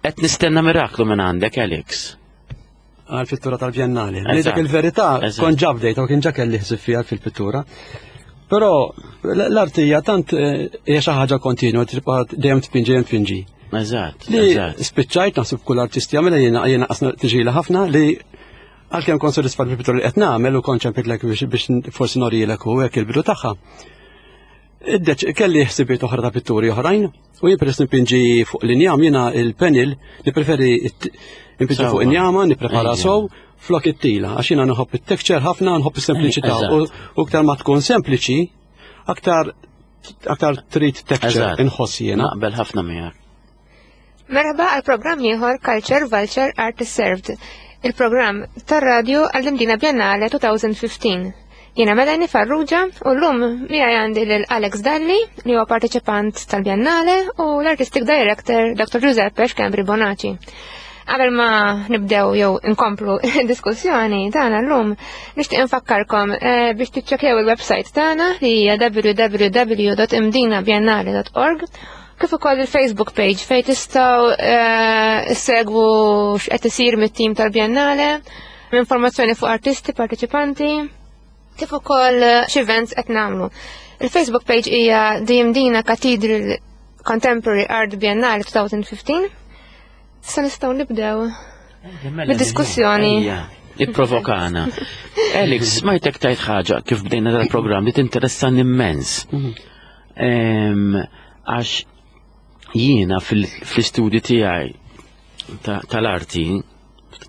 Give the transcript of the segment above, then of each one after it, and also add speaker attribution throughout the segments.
Speaker 1: Qed nistenna miraklu minn għandek, Alex.
Speaker 2: Għal-pittura tal-Biennale. Dak il-verità kont ġa bdejt u kien ġa kelli ħsieb fiha fil-pittura. Però l-arti hija tant eh, hija xi ħaġa kontinwa tibqa' dejjem tpinġi dejjem tpinġi.
Speaker 1: Eżatt.
Speaker 2: Li spiċċajt naħseb kull artist jagħmel jiena jiena qasna tiġila ħafna li għalkemm kont sodisfat bil-pittura li qed nagħmel u kont ċempitlek biex forsi norilek u hekk il-bidu tagħha. Kelli ħsibiet oħra ta' pitturi oħrajn u jien peress nipinġi fuq l-injam jiena il-panel nippreferi npinġi fuq injama, nipprepara sow flok it-tila għax jiena nħobb it-texture ħafna, nħobb is-sempliċità u aktar ma tkun sempliċi, aktar aktar trid texture inħoss jiena.
Speaker 1: Naqbel ħafna miegħek.
Speaker 3: Merħba għal programm ieħor Culture Vulture Art is Served, il-programm tar-radju għall-Imdina Biennale 2015. Jiena Melanie Farrugia u llum miegħi għandi lil Alex Dalli li huwa parteċipant tal-Biennale u l-Artistic Director Dr. Giuseppe Schembri Bonaci. Qabel ma nibdew jew inkomplu diskussjoni tagħna llum, nixtieq infakkarkom eh, biex tiċċekkjaw il-website tagħna li hija www.imdinabiennale.org kif ukoll il-Facebook page fejn tistgħu eh, segwu x'qed isir mit-tim tal-Biennale, informazzjoni fuq artisti, parteċipanti, kif ukoll eh, x'events qed nagħmlu. Il-Facebook page hija The Mdina Cathedral Contemporary Art Biennale 2015. Sa nistgħu nibdew
Speaker 1: mela,
Speaker 3: bid-diskussjoni.
Speaker 1: Ipprovokana. Alex, smajtek tajt ħaġa kif bdejna dal-programm li tinteressan immens. Mhm. Għax jiena fl-istudju tiegħi tal-arti,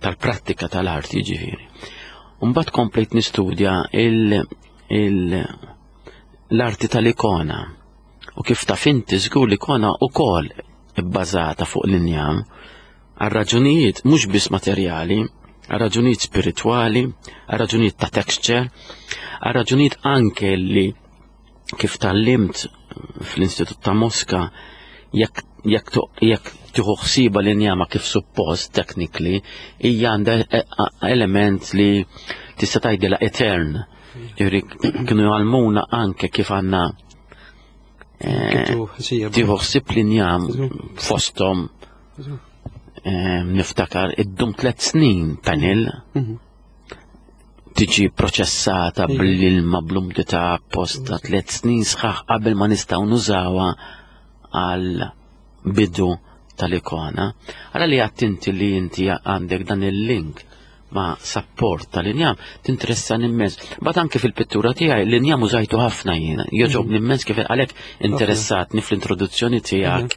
Speaker 1: tal-prattika tal-arti ġifieri. Mbagħad komplejt nistudja l-arti tal-ikona. U kif taf inti żgur l-ikona wkoll ibbażata fuq l-injam għal raġunijiet mhux biss materjali, għal raġunijiet spiritwali, għal raġunijiet ta' texture, għal raġunijiet anke li kif tallimt fl-Istitut ta' Moska jekk jekk jekk tieħu ħsiba l-injama kif suppost technically hija għandha e, element li tista' tgħidilha etern. Ġifieri kienu jgħallmuna anke kif għandna e, tieħu ħsieb l-injam fosthom e, niftakar iddum tliet snin panel. Mhm. tiġi proċessata bl-ilma bl-umdità apposta tliet snin sħaħ qabel ma nistgħu nużawha għal bidu tal-ikona. Għala li għattinti li inti għandek dan il-link ma' support tal-injam, tinteressan immens. Bat anke fil-pittura tiegħi l-injam użajtu ħafna jiena, joġobni immens kif għalhekk interessatni fl-introduzzjoni tiegħek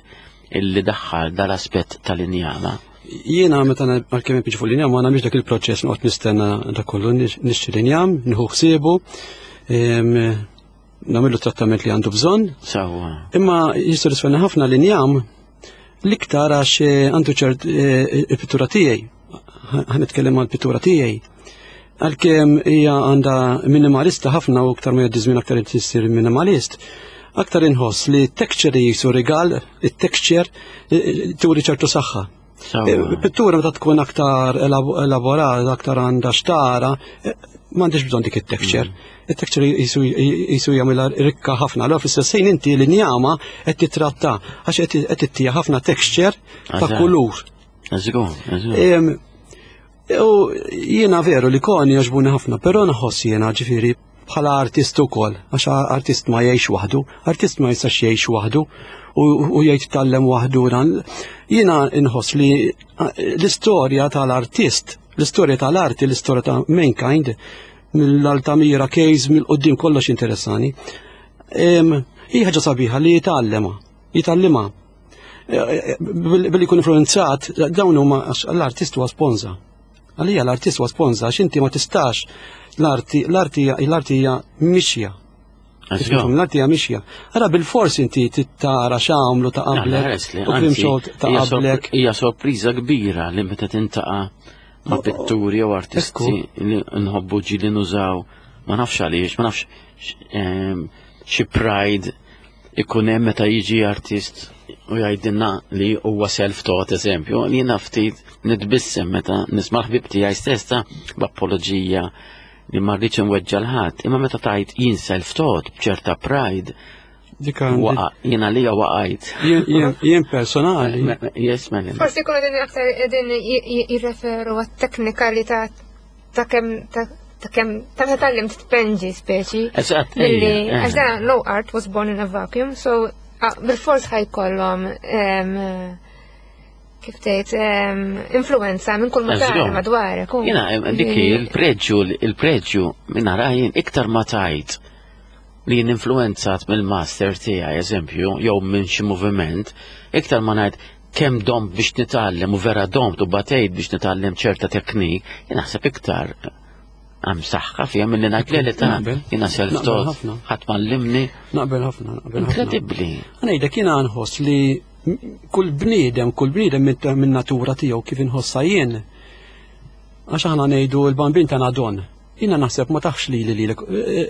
Speaker 1: illi daħħal dal-aspett tal-injama.
Speaker 2: Jiena meta għalkemm inpiġi fuq l-injam ma nagħmilx dak il-proċess noqgħod nistenna dak kollu nixtri l-injam, nieħu ħsiebu, nagħmillu trattament li għandu bżonn.
Speaker 1: Sewwa.
Speaker 2: Imma jissodisfani ħafna l-injam l-iktar għax eh, għandu ċert eh, il-pittura tiegħi. Ħa nitkellem għall-pittura tiegħi. Għalkemm hija għandha minimalista ħafna u aktar ma jgħaddi żmien aktar issir minimalist, aktar inħoss li t-texture jisu rigal, it-texture eh, turi ċertu saħħa. Eh, pittura meta tkun aktar elaborata, aktar għandha xtara, eh, m'għandix bżonn dik it-texture. Mm. It-texture jisu jagħmilha rikka ħafna. Allura fl-istess ħin inti l-injama qed titratta għax qed tittija ħafna texture ta' kulur.
Speaker 1: Eżgur,
Speaker 2: U jiena veru li koni jogħġbuni ħafna, però nħoss jiena ġifieri bħala artist ukoll, għax artist ma jgħix waħdu, artist ma jistax jgħix waħdu u jgħid tallem waħdu dan. Jiena nħoss li l-istorja tal-artist, l-istorja tal-arti, l-istorja ta' mankind, mill-Altamira Case, mill-qoddim kollox interessani. Hija ħaġa sabiħa li jitgħallema, jitgħallimha. Billi jkun influenzat, dawn huma l-artist huwa sponza. Għalija l-artist huwa sponza għax inti ma tistax l-arti l-arti l-arti hija mixja. L-arti hija mixja. Ara bil-fors inti tittara x'għamlu ta' qablek. U krim ta' qablek.
Speaker 1: Hija sorpriża kbira li meta tintaqa' ma' pitturi jew artisti li nħobbu ġili nużaw ma nafx għaliex, ma nafx ehm, xi pride ikun hemm meta jiġi artist u jgħidilna li huwa self-taught eżempju, li jiena ftit nitbissem meta nisma' l-ħbib tiegħi stess ta' b'apoloġija li ma rridx inweġġa' l-ħadd, imma meta tgħid jien self-taught b'ċerta pride,
Speaker 2: Dik għandi.
Speaker 1: Waqa, jiena lija waqajt.
Speaker 2: Jien personali.
Speaker 1: Yes, Melanie.
Speaker 3: Forsi jkunu din aktar din jirreferu għat-teknikalità ta' kemm ta' kemm ta' meta tgħallimt tpenġi speċi.
Speaker 1: Eżatt,
Speaker 3: Milli
Speaker 1: ejja,
Speaker 3: għax dan no art was born in a vacuum, so bil-fors ħajkollhom kif tgħid influenza minn kull ma tara madwarek.
Speaker 1: Jiena dik il-preġju il-preġju minn jien iktar ma tajt li jien influenzat mill-master tiegħi eżempju jew minn xi moviment, iktar ma ngħid kemm domt biex nitgħallem u vera domt u batejt biex nitgħallem ċerta teknik, jien naħseb iktar għam saħħa fija milli ngħid li ta' jiena self-taught, ħadd m'għallimni.
Speaker 2: Naqbel ħafna, naqbel ħafna.
Speaker 1: Inkredibbli.
Speaker 2: Ngħidlek jiena nħoss li kull bniedem, kull bniedem minn natura tiegħu kif inħossha jien. Għax aħna ngħidu l-bambin tagħna don. Jiena naħseb ma taħx lili lilek.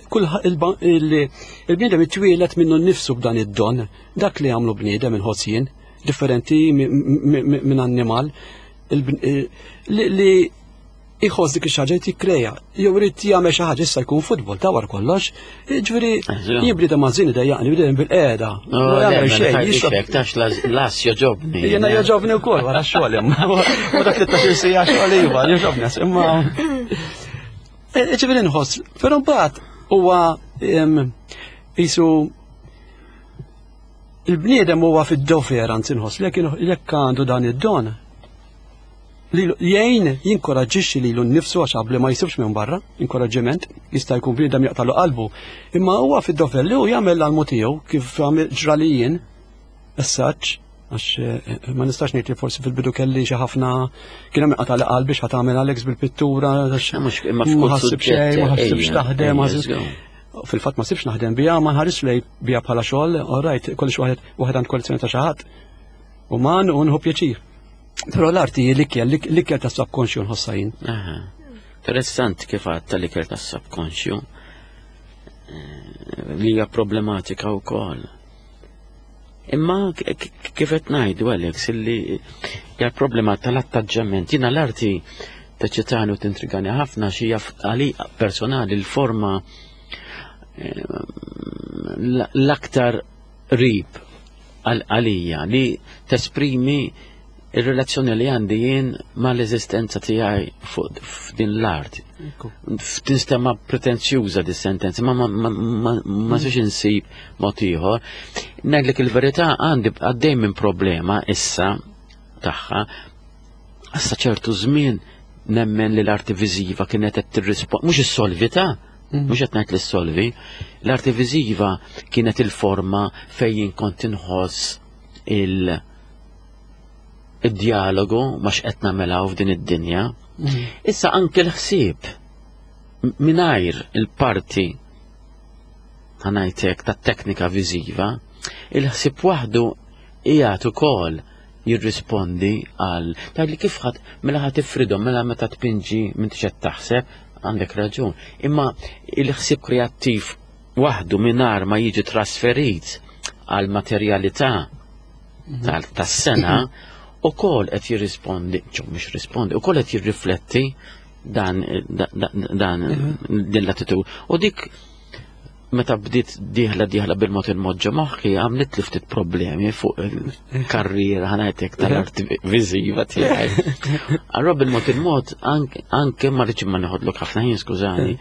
Speaker 2: Kull il-bniedem itwieled minnu nnifsu b'dan id-don. Dak li għamlu bniedem inħoss jien, differenti minn annimal. Li iħoss dik ix-xi ħaġa jikkreja, jew irid jagħmel xi ħaġa issa jkun futbol ta' wara kollox. Ġifieri jien bniedem mażin idejjaqni bniedem bil-qiegħda.
Speaker 1: Ma jagħmel xejn, jixrob. Tax las joġobni.
Speaker 2: Jiena joġobni wkoll wara x-xogħol imma. U dak li tax sija xogħol iva, joġobni imma. Ġifieri nħoss, però mbagħad huwa qisu il-bniedem huwa fid-dofer anzi nħoss jekk għandu dan id-don li jgħin jinkoraġġixxi lilu nnifsu għax qabli ma jsibx minn barra, inkoraġġiment, jista' jkun bniedem jaqtalu qalbu, imma huwa fid-dover li hu jagħmel l-almu tiegħu kif għamel ġra li jien, essaġġ, għax eh, ma nistax ngħid li forsi fil-bidu kelli xi ħafna kien hemm qatali qalbi x'ħa tagħmel Alex bil-pittura,
Speaker 1: għax ma ħassib
Speaker 2: xejn, ma ħassibx taħdem, fil-fatt ma sibx naħdem biha, ma nħarisx lej biha bħala xogħol, all right, kollox waħed waħed għand kollezzjoni ta' xi ħadd. Uman u nħu pjaċir. Però l-arti hi l-ikel, l-ikel tas subkonxju nħossha jien.
Speaker 1: Interessanti kif għadt tal-ikel tas subkonxju eh, li hija problematika wkoll. Imma kif qed ngħidu Alex illi hija problema tal-attaġġament. Jiena l-arti teċitani u tintrigani ħafna xi għali personali l-forma eh, l-aktar qrib għalija li tesprimi ir-relazzjoni li għandi jien mal-eżistenza tiegħi fuq f'din l-art. Tinstema pretenzjuża di sentenza, ma ma ma ma ma mm. insib mod ieħor. Ngħidlek il-verità għandi għaddej minn problema issa tagħha issa ċertu żmien nemmen li l-arti viżiva kienet qed tirrispondi mhux is-solvita, mhm. mhux qed ngħid li solvi, l-arti viżiva kienet il-forma fejn kont inħoss il- id-dialogu ma x'qed nagħmilha f'din id-dinja. Mhm. Issa anke l-ħsieb mingħajr il-parti ħanajtek tat-teknika viżiva, il-ħsieb waħdu qiegħed ukoll jirrispondi għal tgħidli kif ħadd mela ħadd tifridhom mela meta tpinġi m'intix qed taħseb għandek raġun. Imma il-ħsieb kreattiv waħdu mingħajr ma jiġi trasferit għal materjalità mhm. tas-sena ukoll qed jirrispondi, ċo mhux rispondi, ukoll qed jirrifletti dan dan mhm. din l-attitud. U dik meta bdiet dieħla dieħla bil-mod il-mod ġo moħħi għamlet li ftit problemi fuq il-karriera ħanajtek tal-arti viżiva tiegħi. Allura bil-mod il-mod anke ma rridx ma neħodlok ħafna ħin skużani,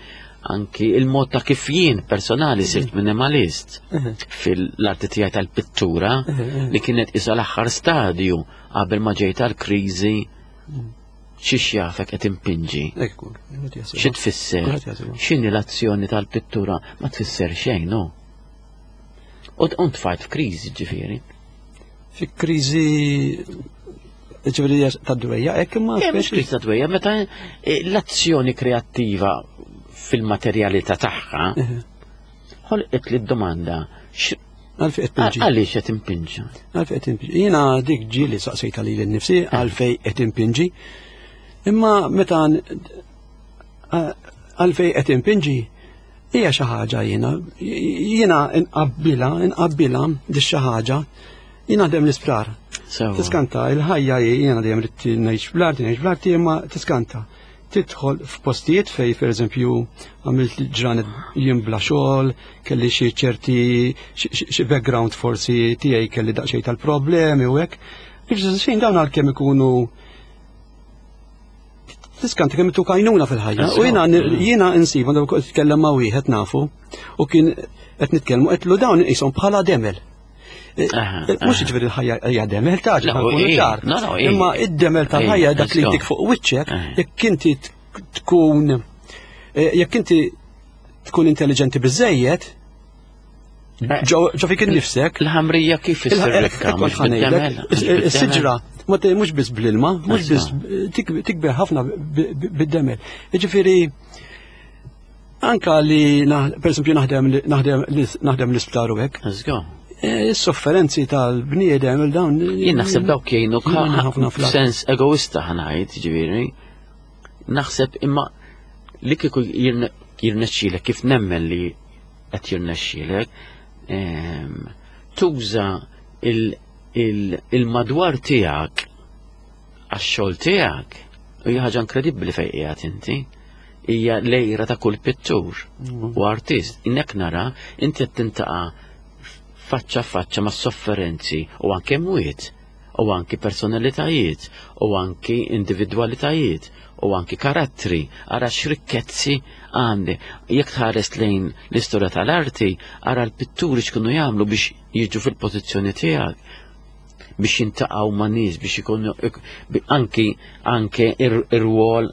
Speaker 1: anki il-mod ta' kif jien personali sirt minimalist fil-arti tiegħi tal-pittura li kienet isa l-aħħar stadju qabel ma ġejt għall-kriżi Xi xjafek qed impinġi? Xi tfisser? X'inhi l-azzjoni tal-pittura? Ma tfisser xejn, no. U tfajt f'kriżi ġifieri.
Speaker 2: Fi kriżi ġifieri ta' dwejja, hekk imma.
Speaker 1: Eh, mhux kriżi ta' dwejja, meta eh, l-azzjoni kreattiva fil-materjalità tagħha ħolqet li d-domanda
Speaker 2: Għalfej qed pinġi.
Speaker 1: Għaliex qed impinġi?
Speaker 2: Għalfej qed impinġi. Jiena dik ġieli saqsejta lili nnifsi eh. għalfej qed impinġi. Imma meta għalfej qed impinġi hija xi ħaġa jiena jiena inqabbilha inqabbilha di xi ħaġa jiena dejjem l-isptar. Tiskanta il-ħajja jiena dejjem rid ngħix bl-arti ngħix bl-arti imma tiskanta. Tidħol f'postijiet fej, per eżempju, għamilt ġranet jien bla xogħol, kelli xi ċerti xi background forsi tiegħi kelli daqsxejn tal-problemi u hekk. Xejn dawn għalkemm ikunu tiskanta kemm tuk għajnuna fil-ħajja. U jiena jiena insib għandu tkellem ma' wieħed nafu u kien qed nitkellmu qed dawn qishom bħala demel. Eh, eh, mhux ġifieri l-ħajja hija demel ta' ġifieri ċar. Imma id-demel tal-ħajja dak li jtik fuq wiċċek, jekk inti tkun eh, jekk inti tkun intelligenti biżejjed, ġo fik innifsek.
Speaker 1: Il-ħamrija kif issir rikka, mhux bid-demel.
Speaker 2: Is-siġra, mhux biss bl-ilma, mhux biss tikber ħafna bid-demel. Jiġifieri Anka li, per esempio, naħdem naħdem l-isptar u hekk. E, is-sofferenzi tal-bniedem il-dawn.
Speaker 1: Jien naħseb dawk jgħinu ħafna sens egoista ħanajt, ġifieri. Naħseb imma li kieku jirnexxielek kif nemmen li qed jirnexxielek, ehm, tuża il-madwar tiegħek għax-xogħol tiegħek u hija ħaġa inkredibbli fejn qiegħed inti hija lejra ta' kull pittur mm. u artist. Innek nara inti qed tintaqa' faċċa faċċa ma' sofferenzi u anke mwiet u anki personalitajiet u anki individwalitajiet u anki karattri ara x'rikkezzi għandi. Jekk tħares lejn l-istorja tal-arti, ara l-pitturi x'kienu jagħmlu biex jiġu fil-pożizzjoni tiegħek biex jintaqgħu ma' nies biex ikunu anki anke ir-rwol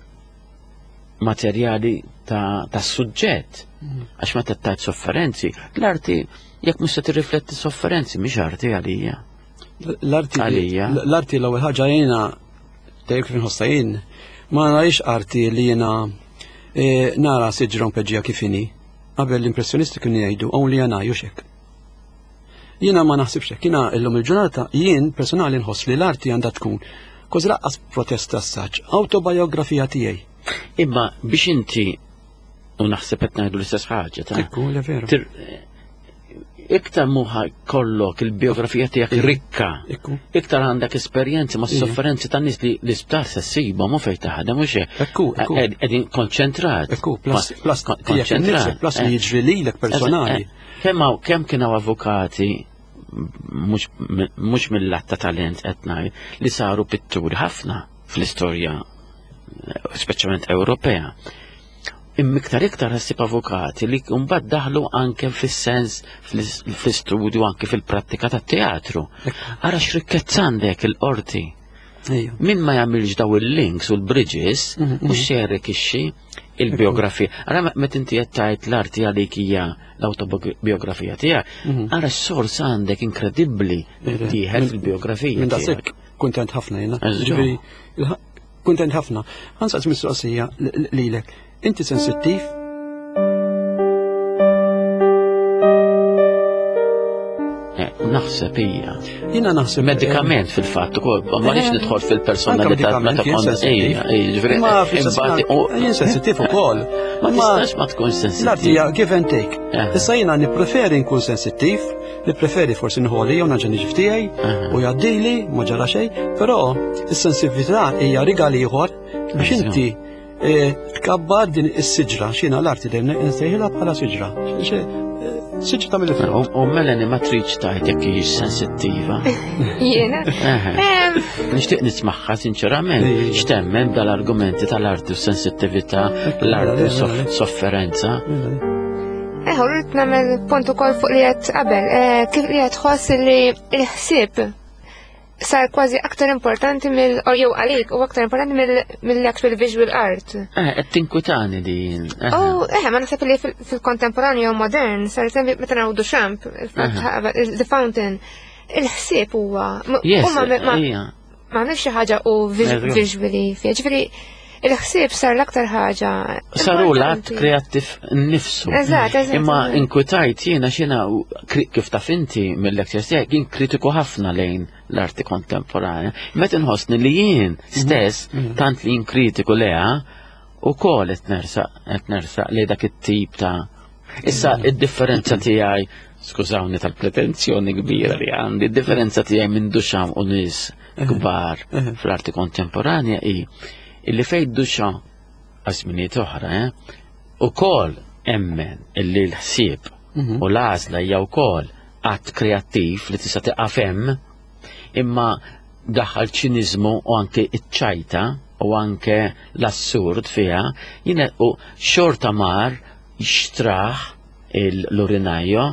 Speaker 1: materjali ta', ta suġġett. Mm. Għax meta tajt sofferenzi, l-arti jekk mhux se tirrifletti sofferenzi mhix arti għalija.
Speaker 2: L-arti għalija. L-arti l-ewwel ħaġa jiena dejjem kif inħossha jien ma narix arti li jiena e, nara siġra mpeġġija kif inhi. Qabel l-impressjonisti kienu jgħidu only an eye u xek. Jiena ma naħsibx hekk, jiena illum il-ġurnata jien personali nħoss li l-arti għandha tkun kważi laqqas protesta saċ, autobiografija tiegħi.
Speaker 1: Imma biex inti u naħseb qed ngħidu l-istess ħaġa ta'
Speaker 2: Ekku, le veru.
Speaker 1: Iktar muħa kollok il-biografija tiegħek rikka, iktar għandek esperjenzi ma' sofferenzi tan nies li l-isptar se ssibhom u fejn taħdem u xejn.
Speaker 2: Ekku, ekku.
Speaker 1: Qegħdin konċentrat.
Speaker 2: Ekku, plus plus konċentrat. Plus li eh. jiġri lilek personali. Eh,
Speaker 1: Kemm hawn kemm kien hawn avukati mhux mill-lat ta' talent qed ngħid li saru pitturi ħafna fl-istorja speċjalment Ewropea. Imma iktar iktar ħassib avukati li mbagħad daħlu anke fis-sens fl-istudju anke fil-prattika tat-teatru. Ara x'rikkezza għandek il-qorti. Min ma jagħmilx daw il-links u l-bridges, mhm, mhux mhm. se jarrikixxi il-biografija. Ara meta inti qed tgħid l-arti għalik hija l-autobiografija tiegħek, mhm. ara s-sors għandek inkredibbli tieħed fil-biografija.
Speaker 2: Minn daqshekk kuntent ħafna jiena. Ġifieri kuntent ħafna. Ħansaqs mistoqsija lilek. Inti sensittiv?
Speaker 1: Eh, naħseb hija.
Speaker 2: Jiena naħseb.
Speaker 1: Medikament fil-fatt ukoll, ma rridx eh, nidħol fil-personalità meta
Speaker 2: kont ejja, jiġifieri. Ma jien sensittiv ukoll.
Speaker 1: Ma tistax ma tkun sensittiv.
Speaker 2: L-arti hija give and take. Eh. Issa jiena nippreferi nkun sensittiv, nippreferi forsi nħoli jew naġa niġi f'tiegħi u jgħaddili ma ġara xejn, però is-sensitività hija rigal ieħor biex inti E, tkabbar din is-siġra, xina l-arti dejjem nsejħilha bħala siġra. E, siġra ta' mill
Speaker 1: U Melanie ma tridx tgħid jekk hijiex sensittiva.
Speaker 3: Jiena.
Speaker 1: Nixtieq nismagħha sinċerament x'temmen dal-argumenti tal-arti u sensittività, l-arti u sofferenza.
Speaker 3: Eħu, rrid nagħmel punt ukoll fuq li qed qabel, eh, kif li qed tħoss li l-ħsieb sar kważi aktar importanti mill jew għalik u aktar importanti mill-actual visual art.
Speaker 1: Eh, qed tinkwitani din.
Speaker 3: Eh. Oh, eh, ma naħseb li fil-kontemporanju modern sar sembi meta naraw Duchamp, The Fountain, il-ħsieb huwa. Ma għamilx xi ħaġa u visually fiha. Ġifieri il-ħsieb sar l-aktar ħaġa.
Speaker 1: Saru l-att kreattiv nifsu.
Speaker 3: Eżatt, eżatt.
Speaker 1: Imma inkwitajt jiena xina kif taf inti mill-lectures tiegħek jien kritiku ħafna lejn l-arti kontemporanja. Meta nħossni li jien mhm. stess mhm. tant li jien kritiku leha ukoll qed nersaq qed nersaq li dak it-tip ta' Issa mhm. id-differenza tiegħi skużawni tal-pretenzjoni kbira li għandi, id-differenza tiegħi minn Duchamp u nies kbar fl-arti kontemporanja hi illi fejn Duchamp. għażminijiet oħra, eh? Ukoll emmen illi l-ħsieb u l-għażla hija wkoll att kreattiv li tista' tiqaf hemm, imma daħal ċiniżmu u anke iċ-ċajta u anke l-assurd fiha, jiena u xorta mar xtraħ l-urinajo,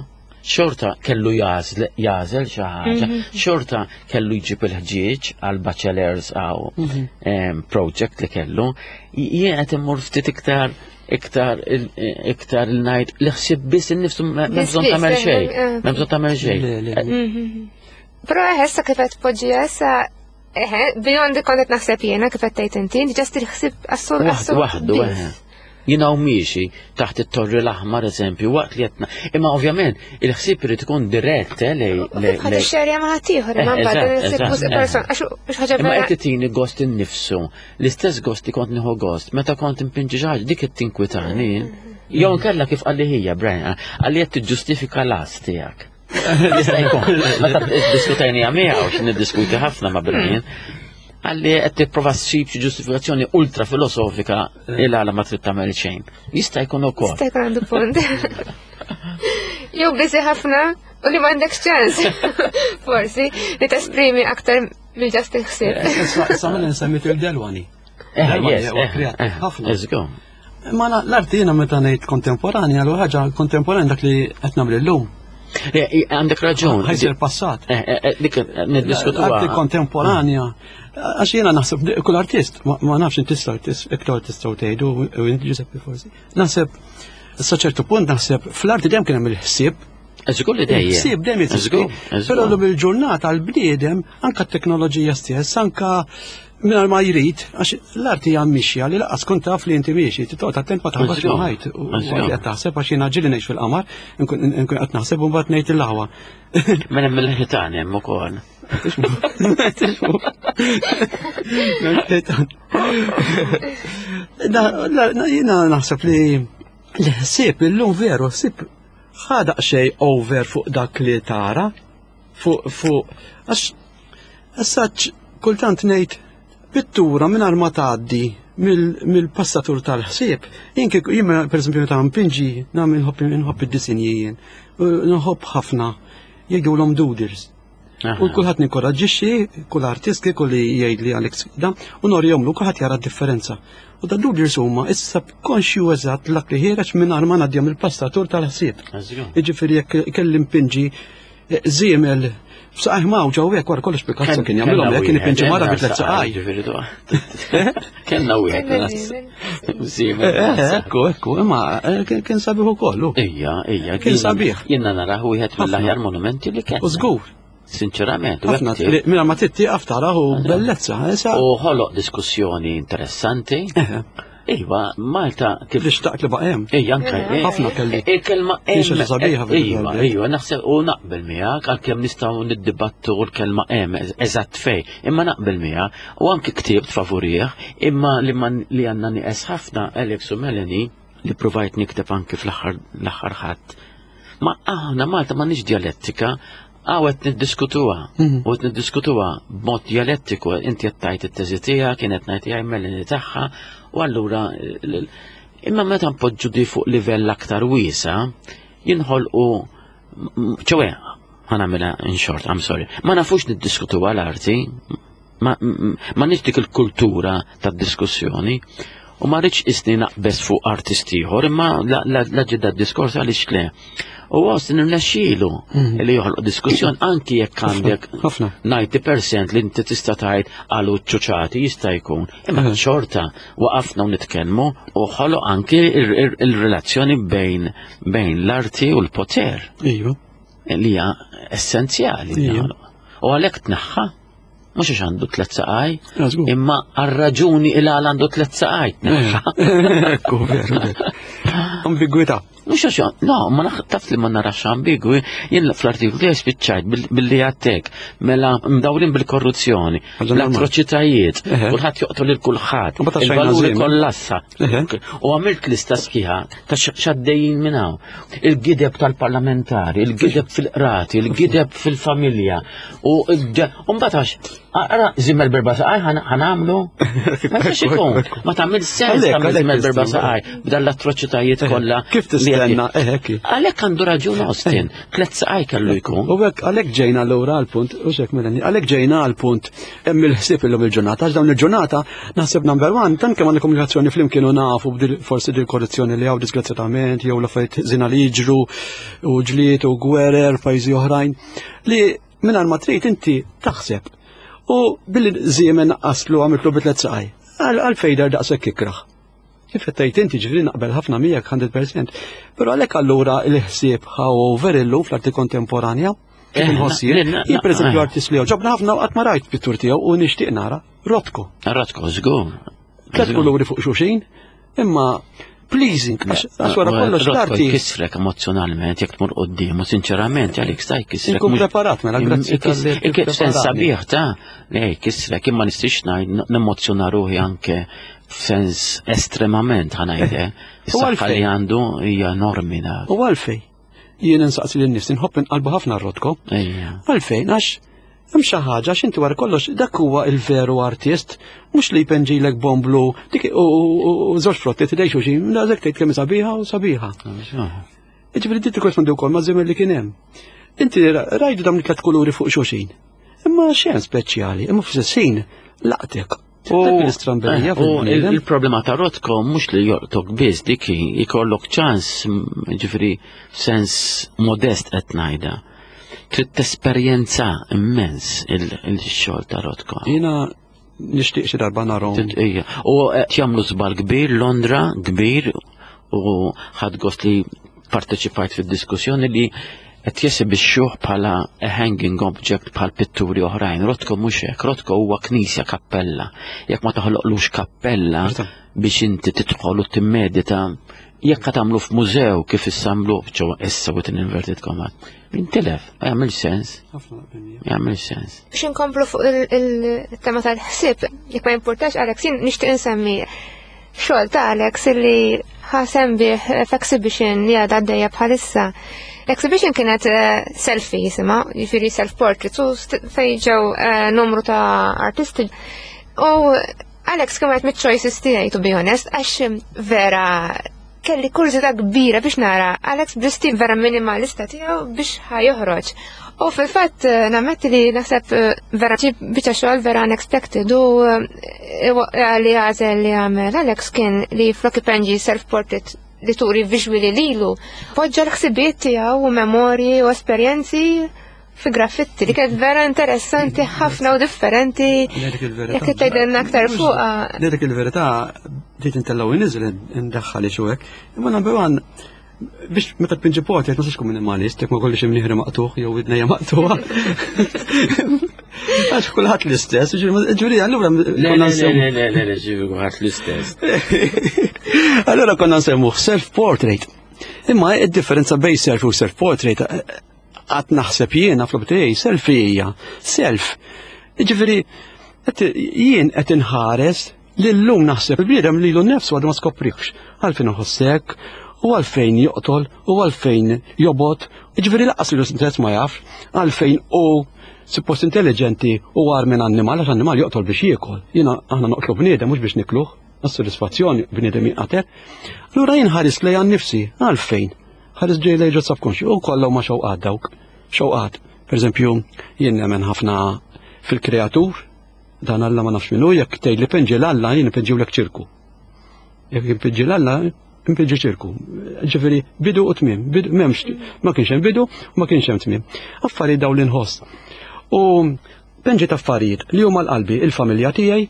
Speaker 1: xorta kellu jażel xi ħaġa, xorta kellu jġib il-ħġieġ għal bachelors għaw project li kellu, jien qed immur ftit iktar iktar iktar il-ngħid li ħsieb biss innifsu m'hemm bżonn tagħmel xejn, m'hemm bżonn tagħmel xejn.
Speaker 3: Però issa kif qed tpoġġiha issa eħe, beyond kont qed naħseb jiena kif qed tgħid inti, just il-ħsieb assurd
Speaker 1: assurd. Waħdu, eħe. Jina u miexi taħt it-torri l-aħmar eżempju, waqt li qed Imma ovvjament il-ħsieb irid ikun dirett eh, lej.
Speaker 3: Ħadd ixxerja ma' ħaddieħor, imma mbagħad il-ħsieb mhux person, għax ħaġa
Speaker 1: Imma qed titini gost innifsu, l-istess gost li kont nieħu gost, meta kont impinġi xi ħaġa dik qed tinkwitani. Jew nkella kif qalli ħija Brian, qalli qed tiġġustifika l-as tiegħek. Jista' jkun. Meta diskutajni miegħu xi niddiskuti ħafna ma' Brian. Għalli qed tipprova ssib xi ġustifikazzjoni ultra filosofika il għala ma trid tagħmel xejn. Jista' jkun ukoll.
Speaker 3: Jista' jkun għandu punt. Jew biżi ħafna u li m'għandekx ċans. Forsi li tesprimi aktar mill-ġast il-ħsieb.
Speaker 2: Issa mela nsemmit il-Delwani.
Speaker 1: Eh, yes, eh,
Speaker 2: ħafna. Ma l-arti jiena meta ngħid kontemporanja, l ħaġa kontemporanja dak li qed nagħmel illum.
Speaker 1: Għandek raġun.
Speaker 2: Ħajsir passat.
Speaker 1: Eh, eh, eh, dik niddiskutu.
Speaker 2: Arti kontemporanja. Għax jiena naħseb kull artist, ma nafx inti artist, iktar tistgħu tgħidu u inti Giuseppe forsi. Naħseb sa ċertu punt naħseb fl-arti dejjem kien hemm il-ħsieb.
Speaker 1: Żgur li dejjem.
Speaker 2: Ħsieb dejjem jeżisti. Però llum il-ġurnata l-bniedem anka t-teknoloġija stess, anka Mingħajr ma jrid, għax l-arti hija mixja li laqas tkun taf li inti miexi, titqgħod attent ma taħbatx ma' ħajt. U qed taħseb għax jiena ġieli ngħix fil-qamar, nkun qed naħseb u mbagħad ngħid il-aħwa.
Speaker 1: Mela mill-ħitan hemm ukoll.
Speaker 2: Jiena naħseb li l-ħsieb illum veru ħsieb ħadaq xejn over fuq dak li tara, fuq fuq għax Issa kultant ngħid pittura mingħajr ma tgħaddi mill-passatur tal-ħsieb. Jien kieku jien pereżempju meta npinġi nagħmel nħobb id-disinji jien. Nħobb ħafna jgħidulhom doodles. U kulħadd ninkoraġġixxi, kull artist kieku li jgħid li Alex da, u norjomlu kulħadd jara d-differenza. U da doodles huma issa konxju eżatt dak li ħiereġ mingħajr ma ngħaddihom il-passatur tal-ħsieb. Jiġifieri jekk kelli npinġi Żiemel, b'saqajh mawġa u hekk wara kollox Picasso kien jagħmilhom hekk kien ipinġi mara bi tliet saqaj.
Speaker 1: Kellna wieħed. Żiemel.
Speaker 2: Eh, eh, ekku, ekku, imma eh, kien sabiħ ukoll.
Speaker 1: Ija, ija.
Speaker 2: Kien sabiħ.
Speaker 1: Jiena naraħ wieħed mill-aħjar monumenti li kien.
Speaker 2: U żgur.
Speaker 1: Sinċerament.
Speaker 2: Mela ma tittieqaf taraħ u bellezza.
Speaker 1: U ħoloq diskussjoni interessanti. Iva, Malta
Speaker 2: kif. Li xtaqt li baqa' hemm.
Speaker 1: Ejja, anke.
Speaker 2: Eh, ħafna kelli.
Speaker 1: Il-kelma
Speaker 2: hemm. Xi sabiħa
Speaker 1: Iva, iva, naħseb u naqbel miegħek għalkemm nistgħu niddibattu l-kelma hemm eżatt fej, imma naqbel miegħek u anke ktibt favurih, imma li man li għandna nieqes ħafna Alex u Melanie li provajt nikteb anke fl-aħħar l-aħħar ħadd. Ma aħna Malta m'għandniex djalettika, Għaw qed niddiskutuha, mhm. u qed niddiskutuha b'mod dialettiku, inti qed tgħid it-teżi tiegħek, kienet ngħid tiegħi Melanie tagħha, u allura imma meta npoġġu di fuq livell aktar wiesa, jinħolqu ċowe, ħanamela in short, I'm sorry, ma nafux niddiskutuha l-arti, ma nix dik il-kultura tad-diskussjoni u ma rridx isni naqbes fuq artist ieħor imma la ġidda diskors għaliex le. U għos nirnexxielu mhm. li joħloq diskussjoni anki jekk għandek 90% li inti tista' tgħid għalu ċuċati jista' jkun. Imma mhm. xorta waqafna u nitkellmu u ħoloq anki il-relazzjoni bejn bejn l-arti u l-poter.
Speaker 2: Iva.
Speaker 1: Li hija essenzjali. U għalhekk tneħħa Mhux għax għandu tlet saqaj, imma għar-raġuni il għal għandu tlet saqaj.
Speaker 2: Ekku, veru. Ambigwità.
Speaker 1: Mhux għax, no, ma taf li ma narax ambigwi, jien fl-artiklu tiegħi spiċċajt billi għattek, mela mdawrin bil-korruzzjoni, l-atroċitajiet, kulħadd joqtol lil kulħadd, il-valuri kollassa. U għamilt lista sħiħa ta' xaddejjin minn hawn. Il-gideb tal-parlamentari, il-gideb fil-qrati, il-gideb fil-familja. U mbagħad għax Ara, żimmel berba saqaj ħanamlu. Ma jistax ikun. Ma tagħmel sens tagħmel żimmel berba saqaj b'dan l-atroċitajiet kollha.
Speaker 2: Kif tistenna eħek.
Speaker 1: Għalhekk għandu raġun Austin, tliet saqaj kellu jkun.
Speaker 2: U hekk għalhekk ġejna lura għall-punt, u xek melani, għalhekk ġejna għall-punt hemm il-ħsieb illum il-ġurnata, għax dawn il-ġurnata naħseb number one, tant kemm għandna komunikazzjoni flimkien u nafu forsi dil korruzzjoni li hawn disgrazzjatament jew l-affarijiet żina li jiġru u ġlied u gwerer pajjiżi oħrajn li Mingħajr ma trid inti taħseb. U billi żiemen naqqaslu għamiltlu bi tliet saqaj. Għal fejder daqshekk ikraħ. Kif qed tgħid inti ġifieri naqbel ħafna miegħek 100%. Però għalhekk allura l-ħsieb however illum fl-arti kontemporanja kif eh, inħoss jien, jien pereżempju eh. artist li ġobna ħafna qatt ma rajt pittur tiegħu u nixtieq nara Rotko.
Speaker 1: Rotko, żgur.
Speaker 2: Tlet kuluri fuq xuxin, Imma pleasing, għax wara kollox
Speaker 1: l-arti. Kisrek emozjonalment jekk tmur qoddim u sinċerament għalik staj kisrek.
Speaker 2: Inkun preparat mela grazzi tal-li.
Speaker 1: Sens sabiħ ta' le kisrek imma nistix ngħid nemmozzjona ruħi anke f'sens estremament ħanajde. Is-saħħa li għandu hija enormi
Speaker 2: dak. U għalfej. Jien insaqsi lin nies inħobb inqalbu ħafna r-rotko. Għalfejn għax hemm xi ħaġa għax inti wara kollox dak huwa il-veru artist, mhux li jpenġilek bomblu dik u żewġ frotti tidej xulxin, daqshekk tgħid kemm sabiħa u sabiħa. Jiġifieri dik tikkorrispondi wkoll ma' żmien li kien hemm. Inti rajdu dawn it-tlet kuluri fuq xulxin. Imma xejn speċjali, imma fl-istess laqtek. U l-istramberija
Speaker 1: eh, il-problema ta' Rotko mhux li joqtok biss dik ikollok ċans ġifri sens modest qed ngħidha. Trid tesperjenza immens il-xogħol ta' Rotko.
Speaker 2: Jiena nixtieq xi darba narhom.
Speaker 1: U qed jagħmlu żball kbir Londra kbir u ħadd gost li parteċipajt fid-diskussjoni li qed jesibixxuh bħala a hanging object bħal pitturi oħrajn. Rotko mhux hekk, Rotko huwa knisja kappella. Jekk ma toħloqlux kappella biex inti tidħol u timmedita, jekk qed tagħmlu f'mużew kif issa għamluh ġewwa issa with an inverted comma. Intilef, ma jagħmilx sens. Ma jagħmilx sens.
Speaker 3: Biex inkomplu fuq il-tema tal-ħsieb, jekk ma jimpurtax Alex, jien nixtieq insemmi Xogħol ta' Alex illi ħasem bih f'exhibition li għadha għaddejja bħalissa. L-exhibition kienet eh, selfie jisimha, jiġifieri self-portrait, u fejn ġew eh, numru ta' artisti. U Alex kien wieħed mit-choices tiegħi to be honest, għax vera kelli kurżità kbira biex nara Alex bl-istil vera minimalista tiegħu biex ħajoħroġ. U fil-fatt eh, nammetti li naħseb eh, vera ġib biċċa xogħol vera unexpected u eh, li għażel li għamel Alex kien li flok ipenġi self-portrait li turi visually lilu, poġġa l-ħsibiet tiegħu u memorji u esperjenzi fi graffitti li kienet vera interessanti ħafna u differenti. Jekk tgħidilna aktar fuqha.
Speaker 2: Dik il-verità bdiet intellgħu inniżel indaħħal xi hekk. Imma number one biex meta tpinġi portrait ma tkun minimalist, jekk ma kollix imnieħri maqtuħ jew idnejja maqtuħa. Għax kulħadd l-istess, ġuri allura
Speaker 1: Le, le, le, le, le, le, ġifieri kulħadd l-istess.
Speaker 2: Allura konna nsemmuh self-portrait. Imma id-differenza bejn self u self-portrait Qatt naħseb jiena fl-opinjoni selfie hija self. Jiġifieri jien qed inħares li llum naħseb il-bniedem lilu nnifsu għadu ma skoprihx. Għalfejn iħoss hekk, u għalfejn joqtol, u għalfejn jobgħod, jiġifieri lanqas lilu stess ma jaf, għalfejn hu suppost intelliġenti u agħar minn annimal, għax annimal joqtol biex jiekol. Jiena aħna noqtlu bniedem mhux biex nikluh, għas-sodisfazzjon bniedem jinqatel. Allura jien ħares lejha nnifsi, għalfejn? Ħares ġej lejn ġo subconscious u kollha huma xewqat dawk. Xewqat. Per eżempju, jien nemmen ħafna fil-kreatur, dan Alla ma nafx minnu, jekk tgħid li pinġi l-Alla jien inpinġiwlek ċirku. Jekk inpinġi l-Alla, inpinġi ċirku. Ġifieri bidu u tmiem, bidu m'hemmx ma kienx hemm bidu u ma kienx hemm tmiem. Affarijiet dawn li nħoss. U pinġiet affarijiet li huma l-qalbi, il-familja tiegħi,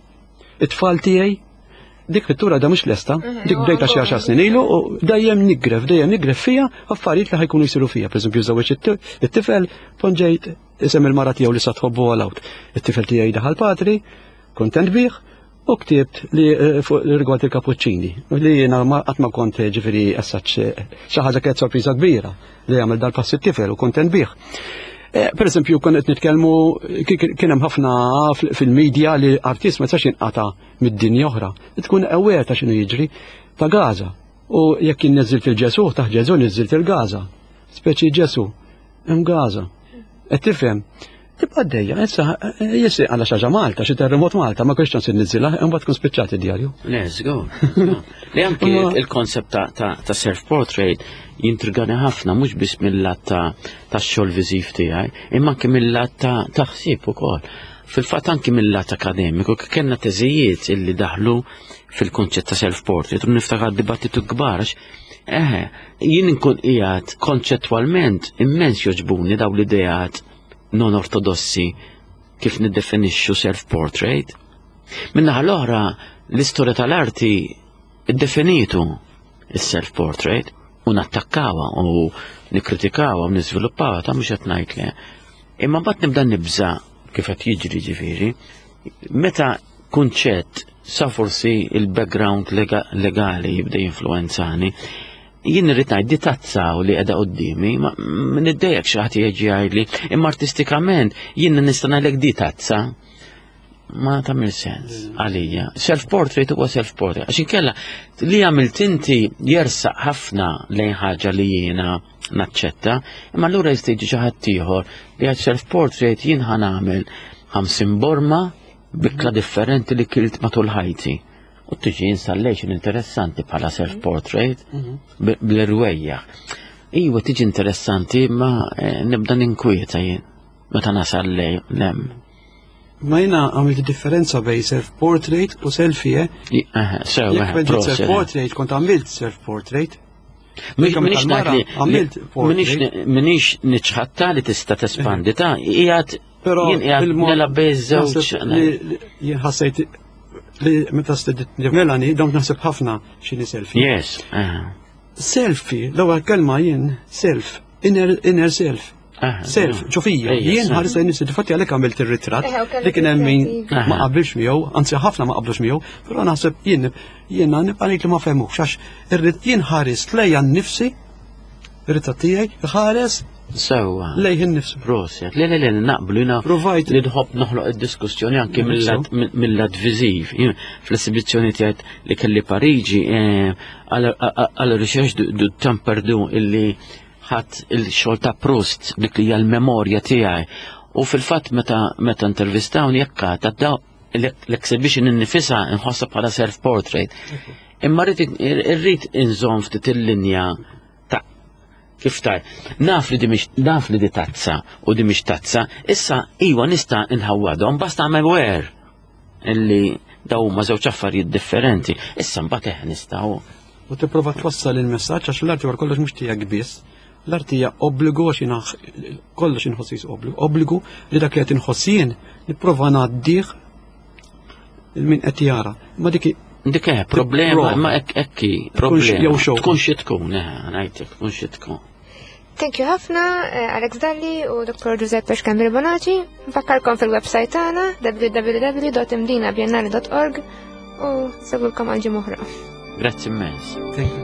Speaker 2: it-tfal tiegħi, dik pittura da mhux lesta, mhm, dik bdejta xi għaxar snin ilu u dejjem nigref, dejjem nigref fija affarijiet li ħajkunu jsiru fija. Pereżempju żewġ it-tifel ponġejt isem il-mara tiegħu li sa tħobbu għal out. It-tifel tiegħi daħal patri, kontent bih, u ktibt li eh, fuq rigward il-kapuċċini li jiena qatt ma kont eh, ġifieri essaċ eh, xi ħaġa kienet sorpriża kbira li jagħmel dal-pass it-tifel u kontent bih. Per eżempju, kon qed nitkellmu kien hemm ħafna fil-medja li artist ma jistax jinqata' mid-dinja oħra. Tkun aware ta' x'inhu jiġri ta' Gaza. U jekk jien niżilt il-Ġesu, taħt Ġesu niżilt il-Gaza. Speċi Ġesu, hemm Gaza. Qed tifhem? Tibqa' għaddejja, issa jisri għala xaġa Malta, xi terremot Malta, ma kienx ċans inniżilha, imbagħad tkun spiċċat id-djarju.
Speaker 1: Let's go. Li anki il-konsept ta' self-portrait jintrigani ħafna mhux biss mill-lat ta' xogħol viżiv tiegħi, imma anki mill-lat ta' ħsieb ukoll. Fil-fatt anki mill-lat akademiku kellna teżijiet illi daħlu fil-konċett ta' self-portrait u niftakar dibattitu kbar Eħe, jien inkun qiegħed konċettwalment immens joġbuni daw l-ideat non ortodossi kif niddefinixxu self-portrait. Minnaħa l-oħra, l-istorja tal-arti iddefinitu il-self-portrait u nattakkawa u nikkritikawa u niżviluppawa ta' mhux qed ngħid le. Imma mbagħad nibda nibża kif qed jiġri ġifieri, meta kunċett sa forsi il-background legali jibda jinfluwenzani, jien irrid ngħid di tazza u li qiegħda quddiemi, ma niddejjek xi ħadd jiġi jgħidli, imma artistikament jien nista' ngħidlek di tazza ma tagħmel sens għalija. Self-portrait huwa self-portrait. Għax inkella li għamilt inti jersaq ħafna lejn ħaġa li jiena naċċetta, imma allura jista' jiġi xi ħadd ieħor li għad self-portrait jien ħa nagħmel 50 borma bikla differenti li kilt matul ħajti. U tiġi installation interessanti bħala self-portrait mhm. bl-irwejja. Iwa tiġi interessanti imma eh, nibda ninkwieta jien meta nasal lem.
Speaker 2: Ma jena għamilt differenza bej self-portrait u selfie, eh?
Speaker 1: Sew,
Speaker 2: self-portrait, kont għamilt self-portrait.
Speaker 1: Minix minix niċħatta li tista' tespandi ta' qiegħed
Speaker 2: Però
Speaker 1: jien qiegħed nilgħab bej żewġ.
Speaker 2: Jien ħassejt li meta stedit Melanie dawn naħseb ħafna x'inhi selfie.
Speaker 1: Yes.
Speaker 2: Selfie, l-ewwel kelma jien self, inner, inner self. Self, ġofija, jien ħares lejn nifsi, difatti għalhekk għamilt ir-ritratt li kien hemm min ma qabilx miegħu, anzi ħafna ma qablux miegħu, però naħseb jien jiena nibqa' ngħid li ma fehmux għax irrid jien ħares lejja nnifsi, ir-ritratt tiegħi ħares
Speaker 1: Sewwa.
Speaker 2: Lejh innifsu.
Speaker 1: Proset. Le, le, le, naqblu jina.
Speaker 2: Provajt.
Speaker 1: Li nħobb noħloq id-diskussjoni anki mill-lat viżiv. Fl-esibizzjoni tiegħek li kelli Pariġi, eh, għal recherche du temps perdu illi ħadd il-xogħol ta' Proust dik li hija l-memorja tiegħi. U fil-fatt meta meta intervistawni jekk ta' daw l-exhibition innifisha nħossha bħala self-portrait. Imma rrid inżomm ftit il-linja ta' kif taj. Naf li di mhix naf li di tazza u di mhix tazza, issa iwa nista' nħawwadhom basta I'm aware illi daw huma żewġ affarijiet differenti. Issa mbagħad eh nistgħu.
Speaker 2: U tipprova twassal il-messaġġ għax l-arti wara kollox mhux tiegħek biss. L-arti hija obbligu għax jiena kollox inħoss obbligu, obbligu li dak li qed inħoss jien nipprova ngħaddih il-min qed jara. Ma dik
Speaker 1: Dik eh, problema, ma ek ekki, problema. Tkun xi tkun, eh, ngħidlek, tkun xi tkun.
Speaker 3: Thank you ħafna eh, Alex Dalli u Dr. Giuseppe Xkambir Bonaci. Nfakkarkom fil-website tagħna www.imdinabiennale.org u segwilkom għal ġimgħa oħra.
Speaker 1: Grazzi immens.
Speaker 2: Thank you.